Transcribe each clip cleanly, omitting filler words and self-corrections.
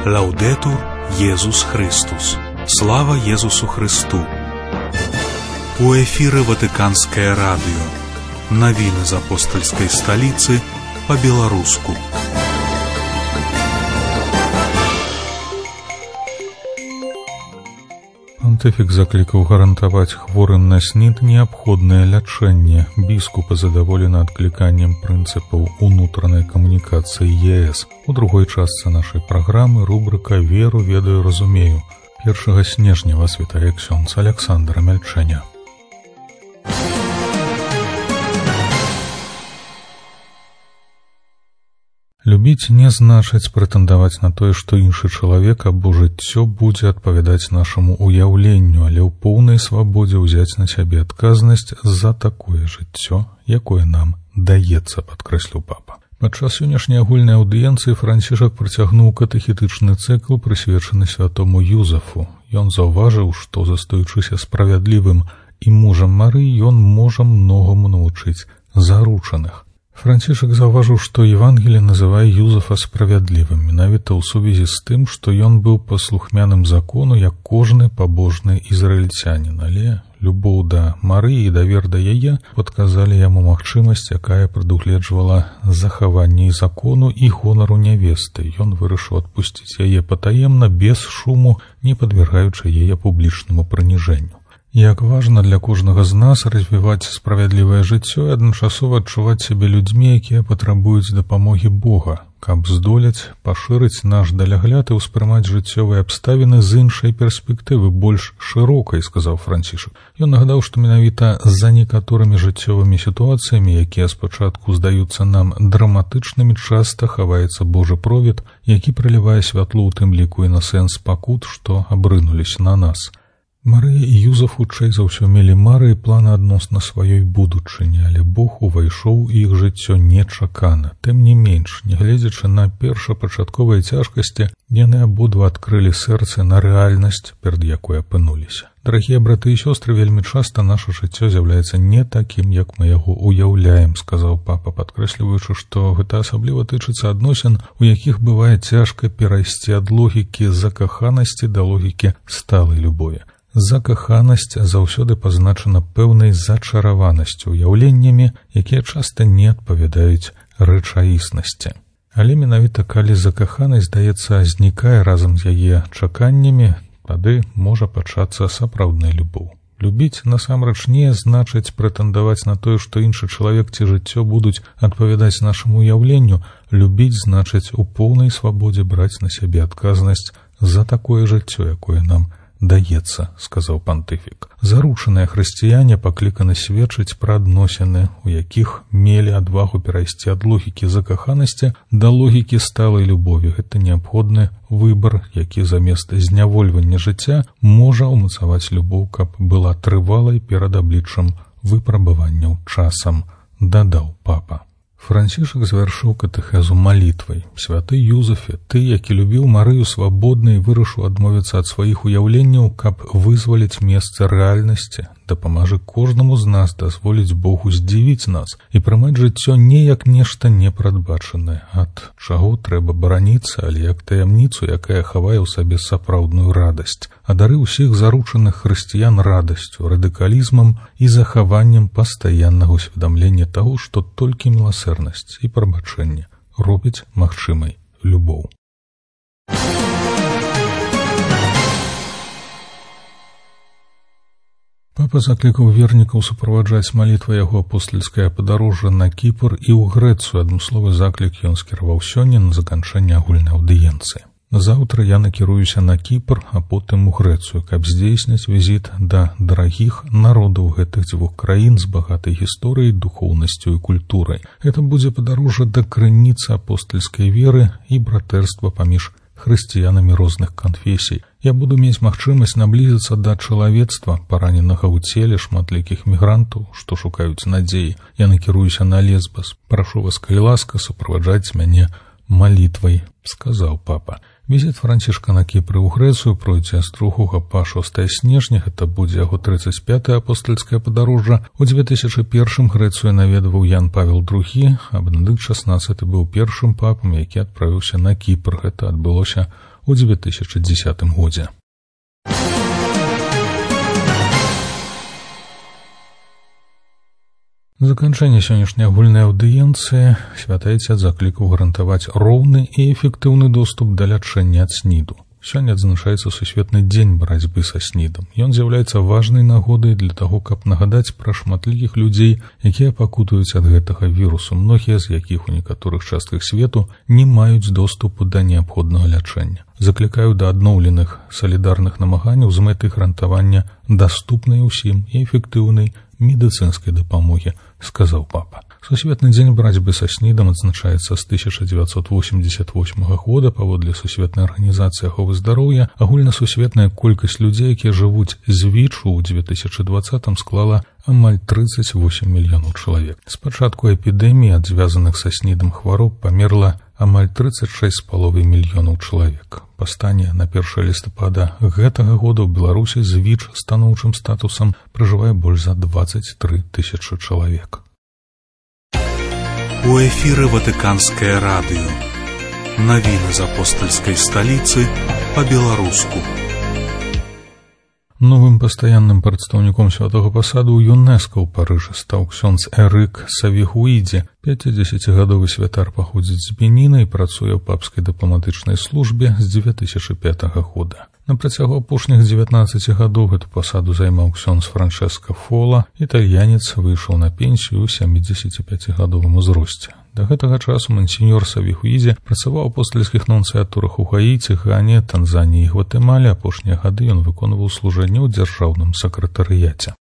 Лаудетур Єсус Христос. Слава Єсусу Христу. У эфиры Ватиканское радио. Новины из апостольской столицы по-белорусски. Пантыфік заклікаў гарантаваць хворым на СНІД неабходнае лячэнне. Біскупы задаволены адкліканнем прынцыпаў унутранай камунікацыі ЕС. У другой частцы нашай праграмы рубрыка «Веру, ведаю, разумею». 1 снежня вас вітае ксёндз Александр Мяльчэня. Любіць не значыць прэтэндаваць на тое, што іншы чалавек або жыццё будзе адпавядаць нашаму ўяўленню, але ў поўнай свабодзе ўзяць на сябе адказнасць за такое жыццё, якое нам даецца, падкрэсліў папа. Падчас сённяшняй агульнай аўдыенцыі Францішак працягнуў катэхетычны цыкл, прысвечаны святому Юзафу. Ён заўважыў, што, застаючыся справядлівым і мужам Марыі, ён можа многаму навучыць заручаных. Францішак заўважыў, што Евангелие называе Юзафа справядлівым, менавіта ў сувязі з тым, што ён быў паслухмяным закону, як кожны пабожны ізраільцянін, але любоў да Марыі і давер да яе падказалі яму магчымасць, якая прадугледжвала захаванне закону і гонару нявесты. Ён вырашыў адпусціць яе патаемна, без шуму, не падвергаючы яе публічнаму прыніжэнню. Як важна для кожнага з нас развіваць справядлівае жыццё і адначасова адчуваць сябе людзьмі, якія патрабуюць дапамогі Бога, каб здолець пашырыць наш далягляд і ўспрымаць жыццёвыя абставіны з іншай перспектывы, больш шырокай, сказаў Францішак. Ён нагадаў, што менавіта за некаторымі жыццёвымі сітуацыямі, якія спачатку здаюцца нам драматычнымі, часта хаваецца Божы провід, які прылівае святло ў тым ліку і на сэнс пакут, што абрынуліся на нас. Марыя і Юзаф хутчэй за ўсё мелі мары і планы адносна сваёй будучыні, але Бог увайшоў у іх жыццё нечакана. Тым не менш, нягледзячы на першапачатковыя цяжкасці, яны абодва адкрылі сэрцы на рэальнасць, перад якой апынуліся. Дарагія браты і сёстры, вельмі часта наша жыццё з'яўляецца не такім, як мы яго ўяўляем, сказаў папа, падкрэсліваючы, што гэта асабліва тычыцца адносін, у якіх бывае цяжка перайсці ад логікі закаханасці да логікі сталай любові. Закаханасць заўсёды пазначана пэўнай зачараванасцю, уяўленнямі, якія часта не адпавядаюць рэчаіснасці. Але менавіта калі закаханасць, здаецца, знікае разам з яе чаканнямі, тады можа пачацца сапраўдная любоў. Любіць насамрэч не значыць прэтэндаваць на тое, што іншы чалавек ці жыццё будуць адпавядаць нашаму ўяўленню. Любіць значыць у поўнай свабодзе браць на сябе адказнасць за такое жыццё, якое нам даецца, сказаў пантыфік. Заручаныя хрысціяне пакліканы сведчыць пра адносіны, у якіх мелі адвагу перайсці ад логікі закаханасці да логікі сталай любові. Гэта неабходны выбар, які замест знявольвання жыцця можа ўмацаваць любоў, каб была трывалай перад абліччам выпрабаванняў часам, дадаў папа. Францішак завяршыў катэхезу малітвай. Святы Юзафе, ты, які любіў Марыю свабодна і вырашыў адмовіцца ад сваіх уяўленняў, каб вызваліць месца рэальнасці, дапамажы кожнаму з нас дазволіць Богу здзівіць нас і прымаць жыццё не як нешта непрадбачанае, ад чаго трэба бараніцца, але як таямніцу, якая хавае ў сабе сапраўдную радасць. Адары ўсіх заручаных хрысціян радасцю, радыкалізмам і захаваннем пастаяннага усведамлення таго, што толькі міласэрнасць і прабачэнне робіць магчымай любоў. Папа заклікаў вернікаў суправаджаць малітвай яго апостальскае падарожжа на Кіпр і ў Грэцыю. Адмысловы заклік ён скіраваў сёння на заканчэнне агульнай аўдыенцыі. Заўтра я накіруюся на Кіпр, а потым у Грэцыю, каб здзейсніць візіт да дарагіх народаў гэтых дзвюх краін з багатай гісторыяй, духоўнасцю і культурай. Гэта будзе падарожжа да крыніцы апостальскай веры і братэрства паміж хрысціянамі розных канфесій. Я буду мець магчымасць наблізіцца да чалавецтва, параненага ў целе шматлікіх мігрантаў, што шукаюць надзеі. Я накіруюся на Лесбас. Прашу вас, калі ласка, суправаджаць мяне малітвай, сказаў папа. Візіт Францішка на Кіпр у Грэцыю пройдзе з 2 па 6 снежня, гэта будзе яго 35-е апостальскае падарожжа. У 2001 Грэцыю наведваў Ян Павел II, а Бенедыкт XVI быў першым папам, які адправіўся на Кіпр. Гэта адбылося у 2010 годзе. Заканчэнне сённяшняй агульнай аўдыенцыі святы Ацец заклікаў гарантаваць роўны і эфектыўны доступ да лячэння ад СНІДу. Сёння адзначаецца сусветны дзень барацьбы са СНІДам. Ён з'яўляецца важнай нагодай для таго, каб нагадаць пра шматлікіх людзей, якія пакутуюць ад гэтага вірусу, многія з якіх у некаторых частках свету не маюць доступу да неабходнага лячэння. Заклікаю да адноўленых салідарных намаганняў з мэтай гарантавання даступнай усім і эфектыўнай медыцынскай дапамогі, сказаў папа. Сусветны дзень барацьбы са СНІДам адзначаецца з 1988 года. Паводле Сусветнай арганізацыі аховы здароўя, агульнасусветная колькасць людзей, якія жывуць з ВІЧ-у ў 2020 склала амаль 38 мільёнаў чалавек. З пачатку эпідэміі ад звязаных са СНІДам хвароб памерла амаль 36,5 мільёнаў чалавек. Па стане на 1 лістапада гэтага года ў Беларусі з ВІЧ станоўчым статусам пражывае больш за 23 тысячы чалавек. У эфіры Ватыканскае радыё. Навіны з апостальскай сталіцы па-беларуску. Новым пастаянным прадстаўніком святога пасаду ў ЮНЕСКО ў Парыжы стаў ксёндз Эрык Савігуідзе. 50-гадовы святар паходзіць з Беніна і працуе ў папскай дыпламатычнай службе з 2005 года. На працягу апошніх 19 гадоў гэту пасаду займаў ксёндз Франчэска Фола. Італьянец выйшаў на пенсію ў 75-гадовым узросце. Да гэтага часу мансіньор Савігуідзе працаваў у апостальскіх нунцыятурах у Гаіці, Гане, Танзаніі і Гватэмале. Апошнія гады ён выконваў служэнне ў дзяржаўным сакратарыяце.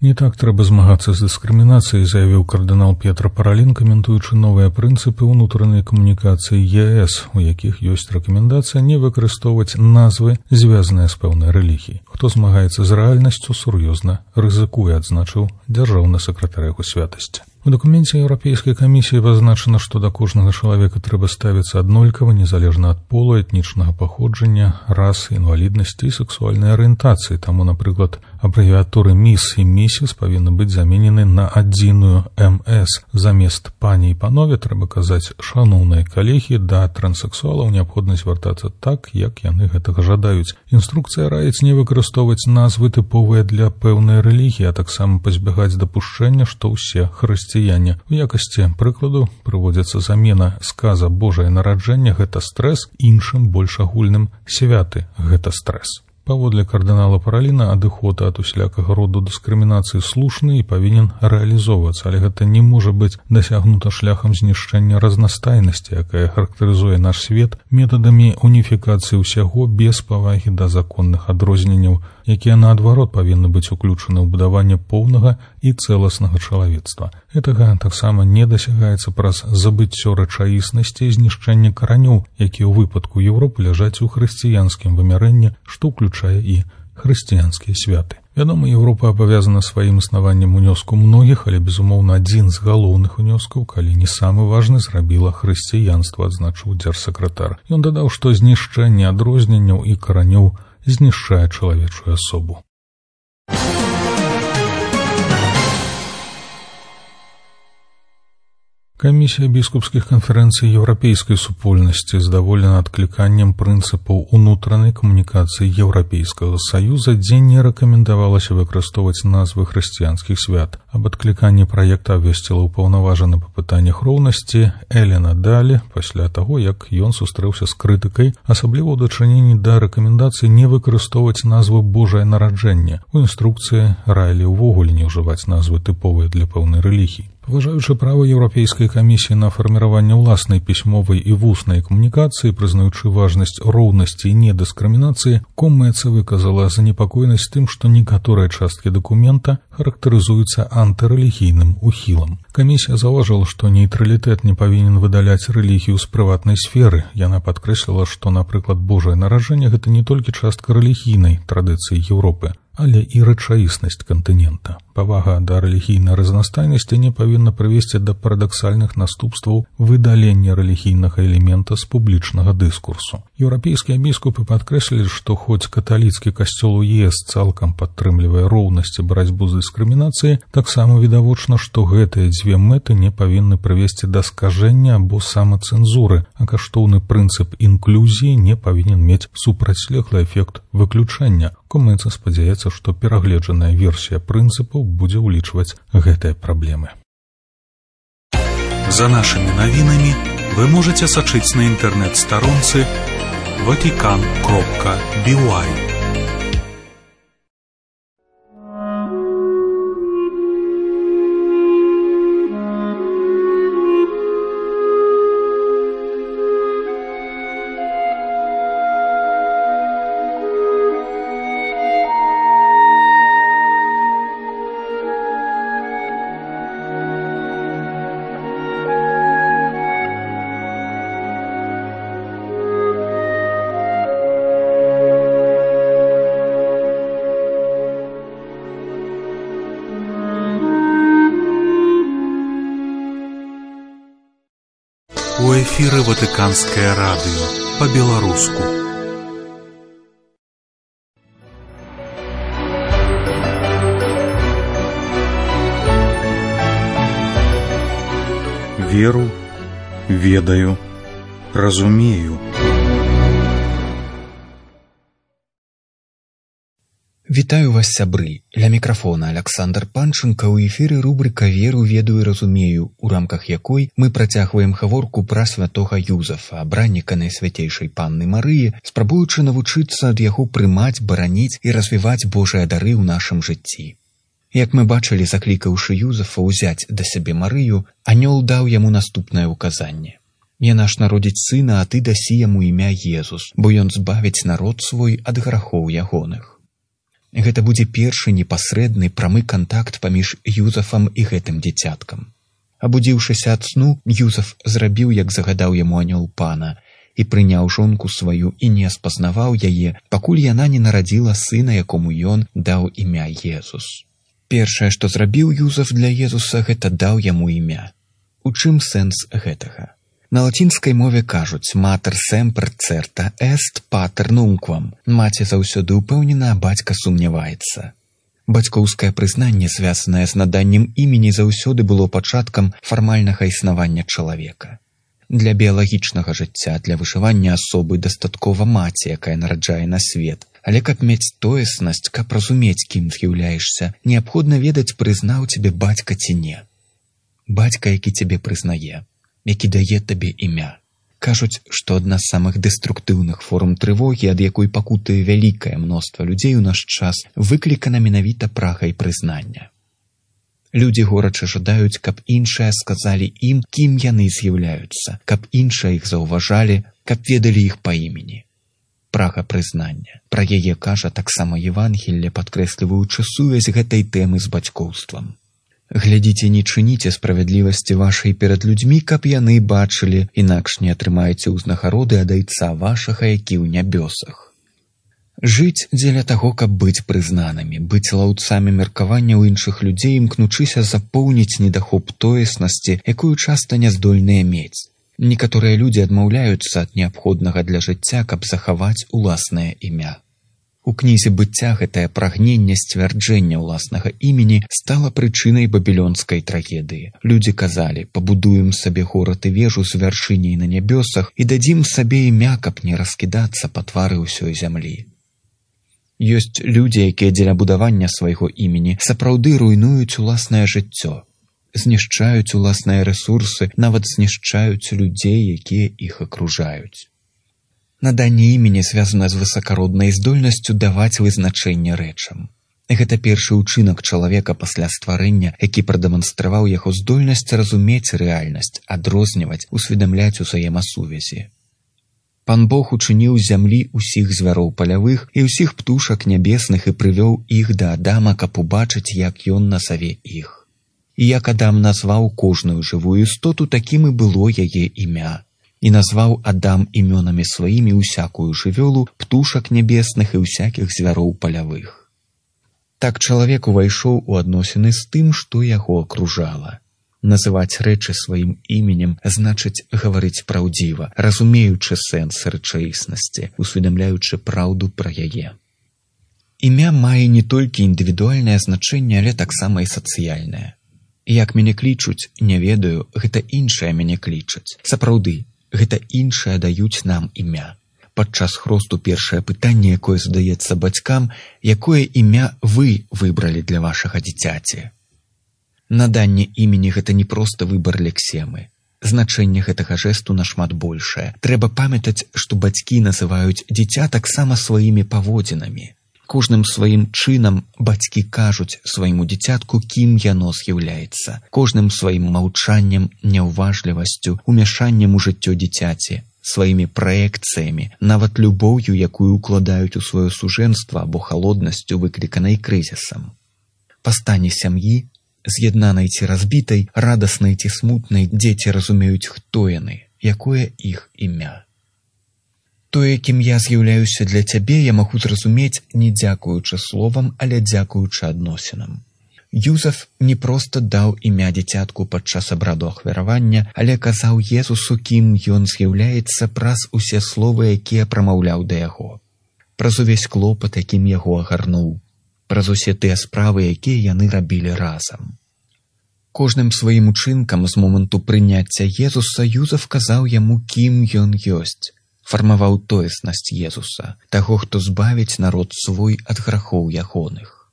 Не так трэба змагацца з дыскрымінацыяй, заявіў кардынал П'етра Паралін, каментуючы новыя прынцыпы ўнутранай камунікацыі ЕС, у якіх ёсць рэкамендацыя не выкарыстоўваць назвы, звязаныя з пэўнай рэлігіяй. Хто змагаецца з рэальнасцю, сур'ёзна рызыкуе, адзначыў дзяржаўны сакратар яго святасці. У дакуменце Еўрапейскай камісіі пазначана, што да кожнага чалавека трэба ставіцца аднолькава, незалежна ад полу, этнічнага паходжання, расы, інваліднасці і сексуальнай арыентацыі. Таму, напрыклад, абрэвіатуры «міс» і «місіс» павінны быць заменены на адзіную «МС». Замест «пані» і «панове» трэба казаць «шаноўныя калегі», да транссексуалаў неабходна звяртацца так, як яны гэтага жадаюць. Інструкцыя раіць не выкарыстоўваць назвы тыповыя для пэўнай рэлігіі, а таксама пазбягаць дапушчэння, што ўсе хрысціяне. У якасці прыкладу прыводзіцца замена сказа «Божае нараджэнне» — гэта стрэс, іншым больш агульным «святы» — гэта стрэс. Паводле кардынала Параліна, адыход ад усялякага роду дыскрымінацыі слушны і павінен рэалізоўвацца, але гэта не можа быць дасягнута шляхам знішчэння разнастайнасці, якая характарызуе наш свет, метадамі уніфікацыі ўсяго без павагі да законных адрозненняў, якія, наадварот, павінны быць уключаны ў будаванне поўнага і цэласнага чалавецтва. Гэтага таксама не дасягаецца праз забыццё рэчаіснасці і знішчэнне каранёў, якія ў выпадку Еўропы ляжаць у хрысціянскім вымярэнні, што ўключае і хрысціянскія святы. Вядома, Еўропа абавязана сваім існаваннем унёску многіх, але, безумоўна, адзін з галоўных унёскаў, калі не самы важны, зрабіла хрысціянства, адзначыў дзяржсакратар. Ён дадаў, што знішчэнне адрозненняў і каранёў знішчае чалавечую асобу. Камісія біскупскіх канферэнцый еўрапейскай супольнасці здаволена адкліканнем прынцыпаў унутранай камунікацыі Еўрапейскага Саюза, дзе не рэкамендавалася выкарыстоўваць назвы хрысціянскіх свят. Аб адкліканні праекта абвясціла ўпаўнаважаны па пытаннях роўнасці Элена Далі пасля таго, як ён сустрэўся з крытыкай, асабліва ў дачыненні да рэкамендацыі не выкарыстоўваць назву «Божае нараджэнне». У інструкцыі раілі ўвогуле не ўжываць назвы тыповыя для пэўнай рэлігіі. Паважаючы права Еўрапейскай камісіі на фарміраванне ўласнай пісьмовай і вуснай камунікацыі, прызнаючы важнасць роўнасці і недыскрымінацыі, Коммэца выказала занепакоенасць тым, што некаторыя часткі дакумента характарызуюцца антырэлігійным ухілам. Камісія заўважыла, што нейтралітэт не павінен выдаляць рэлігію з прыватнай сферы. Яна падкрэсліла, што, напрыклад, Божае нараджэнне — гэта не толькі частка рэлігійнай традыцыі Еўропы, але і рэчаіснасць кантынента. Павага да рэлігійнай разнастайнасці не павінна прывесці да парадаксальных наступстваў выдалення рэлігійнага элемента з публічнага дыскурсу. Еўрапейскія біскупы падкрэслілі, што хоць каталіцкі касцёл у ЕС цалкам падтрымлівае роўнасць і барацьбу з дыскрымінацыяй, таксама відавочна, што гэтыя абедзве мэты не павінны прывесці да скажэння або самацэнзуры, а каштоўны прынцып інклюзіі не павінен мець супрацьлеглы эфект выключэння. Комэнс спадзяецца, што перагледжаная версія прынцыпаў будзе ўлічваць гэтыя праблемы. За нашымі навінамі вы можаце сачыць на інтэрнэт-старонцы vatican.by. У эфіры Ватыканскае радыё па-беларуску. Веру, ведаю, разумею. Вітаю вас, сябры. Ля мікрафона Аляксандр Панчынка. У эфіры рубрыка «Веру, ведаю і разумею», у рамках якой мы працягваем гаворку пра святога Юзафа, абранніка Найсвяцейшай Панны Марыі, спрабуючы навучыцца ад яго прымаць, бараніць і развіваць Божыя дары ў нашым жыцці. Як мы бачылі, заклікаўшы Юзафа ўзяць да сябе Марыю, анёл даў яму наступнае ўказанне. «Яна ж народзіць сына, а ты дасі яму імя Езус, бо ён збавіць народ свой ад грахоў ягоных». Гэта будзе першы непасрэдны прамы кантакт паміж Юзафам і гэтым дзіцяткам. Абудзіўшыся ад сну, Юзаф зрабіў, як загадаў яму анёл пана, і прыняў жонку сваю і не спазнаваў яе, пакуль яна не нарадзіла сына, якому ён даў імя Езус. Першае, што зрабіў Юзаф для Езуса, гэта даў яму імя. У чым сэнс гэтага? На лацінскай мове кажуць «Mater semper certa est pater nunquam». Маці заўсёды ўпэўнена, а бацька сумняваецца. Бацькоўскае прызнанне, звязанае з наданнем імені, заўсёды было пачаткам фармальнага існавання чалавека. Для біялагічнага жыцця, для выжывання асобы дастаткова маці, якая нараджае на свет. Але каб мець тоеснасць, каб разумець, кім з'яўляешся, неабходна ведаць, прызнаў цябе бацька ці не. Бацька, які цябе прызнае, які дае табе імя. Кажуць, што адна з самых дэструктыўных форм трывогі, ад якой пакутае вялікае мноства людзей у наш час, выклікана менавіта прагай прызнання. Людзі горача жадаюць, каб іншыя сказалі ім, кім яны з'яўляюцца, каб іншыя іх заўважалі, каб ведалі іх па імені. Прага прызнання. Пра яе кажа таксама Евангелле, падкрэсліваючы сувязь гэтай тэмы з бацькоўствам. Глядзіце, не чыніце справядлівасці вашай перад людзьмі, каб яны бачылі, інакш не атрымаеце ўзнагароды ад Айца вашага, які ў нябёсах. Жыць дзеля таго, каб быць прызнанымі, быць лаўцамі меркаванняў іншых людзей, імкнучыся запоўніць недахоп тоеснасці, якую часта не здольныя мець. Некаторыя людзі адмаўляюцца ад неабходнага для жыцця, каб захаваць уласнае імя. У кнізе быцця гэтае прагненне сцвярджэння ўласнага імені стала прычынай бабілёнскай трагедыі. Людзі казалі, пабудуем сабе горад і вежу з вяршыняй на нябёсах і дадзім сабе імя, каб не раскідацца па твары ўсёй зямлі. Ёсць людзі, якія дзеля будавання свайго імені сапраўды руйнуюць уласнае жыццё, знішчаюць уласныя рэсурсы, нават знішчаюць людзей, якія іх акружаюць. Наданне імені звязана з высакароднай здольнасцю даваць вызначэнне рэчам. Гэта першы ўчынак чалавека пасля стварэння, які прадэманстраваў яго здольнасць разумець рэальнасць, адрозніваць, усведамляць узаемасувязі. Пан Бог учыніў з зямлі ўсіх звяроў палявых і ўсіх птушак нябесных і прывёў іх да Адама, каб убачыць, як ён назаве іх. І як Адам назваў кожную жывую істоту, такім і было яе імя. І назваў Адам імёнамі сваімі ўсякую жывёлу, птушак нябесных і ўсякіх звяроў палявых. Так чалавек увайшоў у адносіны з тым, што яго акружала. Называць рэчы сваім іменем значыць гаварыць праўдзіва, разумеючы сэнс рэчаіснасці, усведамляючы праўду пра яе. Імя мае не толькі індывідуальнае значэнне, але таксама і сацыяльнае. Як мяне клічуць, не ведаю, гэта іншыя мяне клічаць. Сапраўды, гэта іншыя даюць нам імя. Падчас хросту першае пытанне, якое задаецца бацькам, якое імя вы выбралі для вашага дзіцяці. Наданне імені гэта не проста выбар лексемы. Значэнне гэтага жэсту нашмат большае. Трэба памятаць, што бацькі называюць дзіця таксама сваімі паводзінамі. Кожным сваім чынам бацькі кажуць свайму дзіцятку, кім яно з'яўляецца. Кожным сваім маўчаннем, няўважлівасцю, умяшаннем у жыццё дзіцяці, сваімі праекцыямі, нават любоўю, якую укладаюць у сваё сужэнства або халоднасцю, выкліканай крызісам. Па стане сям'і, з'яднанай ці разбітай, радаснай ці смутнай, дзеці разумеюць, хто яны, якое іх імя. Тое, кім я з'яўляюся для цябе, я магу зразумець не дзякуючы словам, але дзякуючы адносінам. Юзеф не проста даў імя дзіцятку падчас абраду ахвяравання, але казаў Езусу, кім ён з'яўляецца праз усе словы, якія прамаўляў да яго. Праз увесь клопат, якім яго агарнуў. Праз усе тыя справы, якія яны рабілі разам. Кожным сваім учынкам з моманту прыняцця Езуса Юзеф казаў яму, кім ён ёсць. Фармаваў тоеснасць Езуса, таго, хто збавіць народ свой ад грахоў ягоных.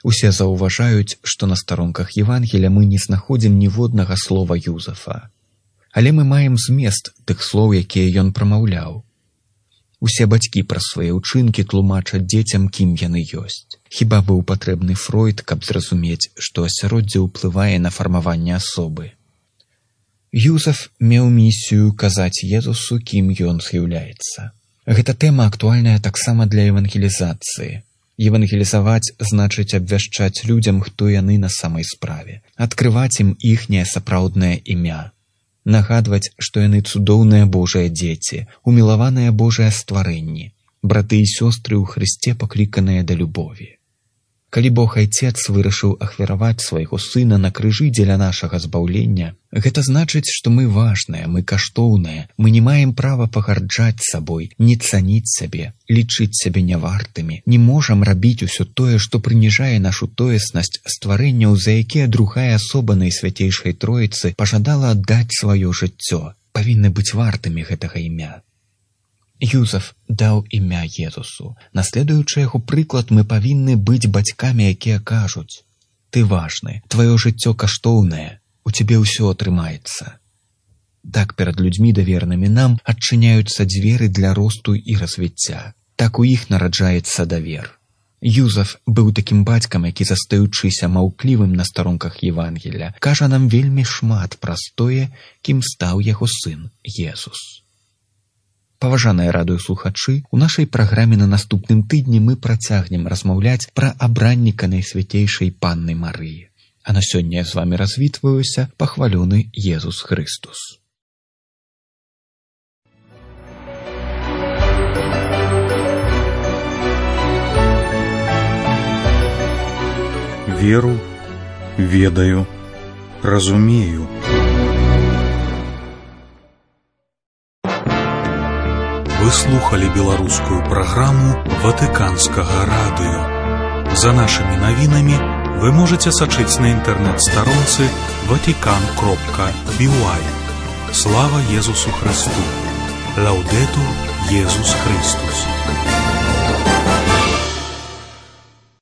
Усе заўважаюць, што на старонках Евангелія мы не знаходзім ніводнага слова Юзефа. Але мы маем змест тых слоў, якія ён прамаўляў. Усе бацькі праз свае ўчынкі тлумачаць дзецям, кім яны ёсць. Хіба быў патрэбны Фройд, каб зразумець, што асяроддзе ўплывае на фармаванне асобы. Юзеф меў місію казаць Езусу, кім ён з'яўляецца. Гэта тэма актуальная таксама для евангелізацыі. Евангелізаваць значыць абвяшчаць людзям, хто яны на самай справе, адкрываць ім іхняе сапраўднае імя, нагадваць, што яны цудоўныя Божыя дзеці, умілаваныя Божыя стварэнні, браты і сёстры ў Хрысце, пакліканыя да любові. Калі Бог Айцец вырашыў ахвяраваць свайго сына на крыжы дзеля нашага збаўлення, гэта значыць, што мы важныя, мы каштоўныя, мы не маем права пагарджаць сабой, не цаніць сябе, лічыць сябе нявартымі, не можам рабіць усё тое, што прыніжае нашу тоеснасць стварэнняў, за якія другая асоба Найсвяцейшай Троіцы пажадала аддаць сваё жыццё, павінны быць вартымі гэтага імя. Юзеф даў імя Езусу. Наследуючы яго прыклад, мы павінны быць бацькамі, якія кажуць: «Ты важны, тваё жыццё каштоўнае, у цябе ўсё атрымаецца». Так перад людзьмі, давернымі нам, адчыняюцца дзверы для росту і развіцця. Так у іх нараджаецца давер. Юзеф быў такім бацькам, які, застаючыся маўклівым на старонках Евангелія, кажа нам вельмі шмат праз тое, кім стаў яго сын Езус. Паважаныя радыёслухачы, у нашай праграме на наступным тыдні мы працягнем размаўляць пра абранніка Найсвяцейшай Панны Марыі. А на сёння я з вамі развітваюся, пахвалёны Езус Хрыстус. Веру, ведаю, разумею. Вы слухали беларускую праграму Ватыканскага радыё. За нашымі навінамі вы можаце сачыць на інтэрнэт-старонцы vatican.by. Слава Езусу Христу! Лаўдэтур Езус Христус!